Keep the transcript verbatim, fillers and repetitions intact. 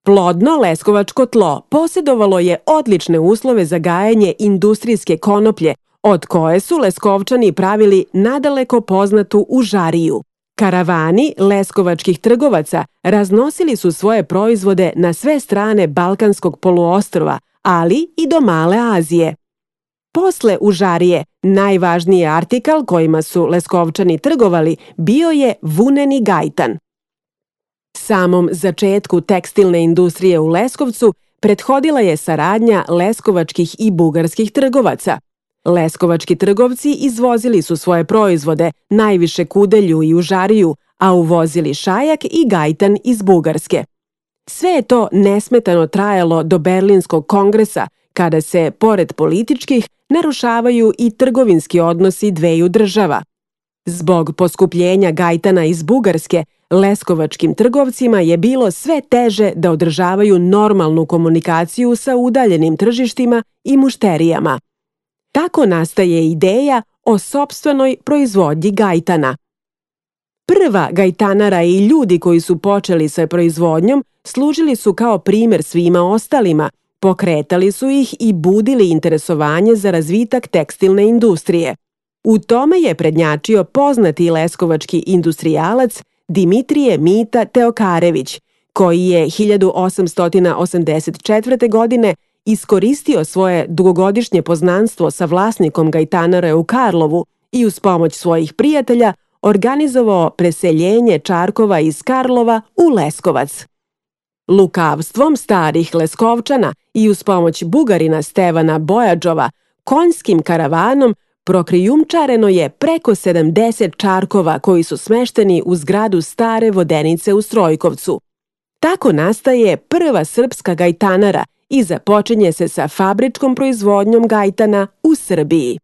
Plodno leskovačko tlo posjedovalo je odlične uslove za gajanje industrijske konoplje, od koje su Leskovčani pravili nadaleko poznatu užariju. Karavani leskovačkih trgovaca raznosili su svoje proizvode na sve strane Balkanskog poluostrva, ali i do Male Azije. Posle užarije, najvažniji artikal kojima su Leskovčani trgovali bio je vuneni gajtan. Samom začetku tekstilne industrije u Leskovcu prethodila je saradnja leskovačkih i bugarskih trgovaca. Leskovački trgovci izvozili su svoje proizvode, najviše kudelju i užariju, a uvozili šajak i gajtan iz Bugarske. Sve je to nesmetano trajalo do Berlinskog kongresa, kada se, pored političkih, narušavaju i trgovinski odnosi dveju država. Zbog poskupljenja gajtana iz Bugarske, leskovačkim trgovcima je bilo sve teže da održavaju normalnu komunikaciju sa udaljenim tržištima i mušterijama. Tako nastaje ideja o sopstvenoj proizvodnji gajtana. Prva gajtanara i ljudi koji su počeli sa proizvodnjom služili su kao primer svima ostalima, pokretali su ih i budili interesovanje za razvitak tekstilne industrije. U tome je prednjačio poznati leskovački industrijalac Dimitrije Mita Teokarević, koji je hiljadu osamsto osamdeset četvrte. godine iskoristio svoje dugogodišnje poznanstvo sa vlasnikom gajtanare u Karlovu i uz pomoć svojih prijatelja organizovao preseljenje Čarkova iz Karlova u Leskovac. Lukavstvom starih Leskovčana i uz pomoć Bugarina Stevana Bojadžova, konjskim karavanom prokrijumčareno je preko sedamdeset čarkova koji su smešteni u zgradu stare vodenice u Strojkovcu. Tako nastaje prva srpska gajtanara i započinje se sa fabričkom proizvodnjom gajtana u Srbiji.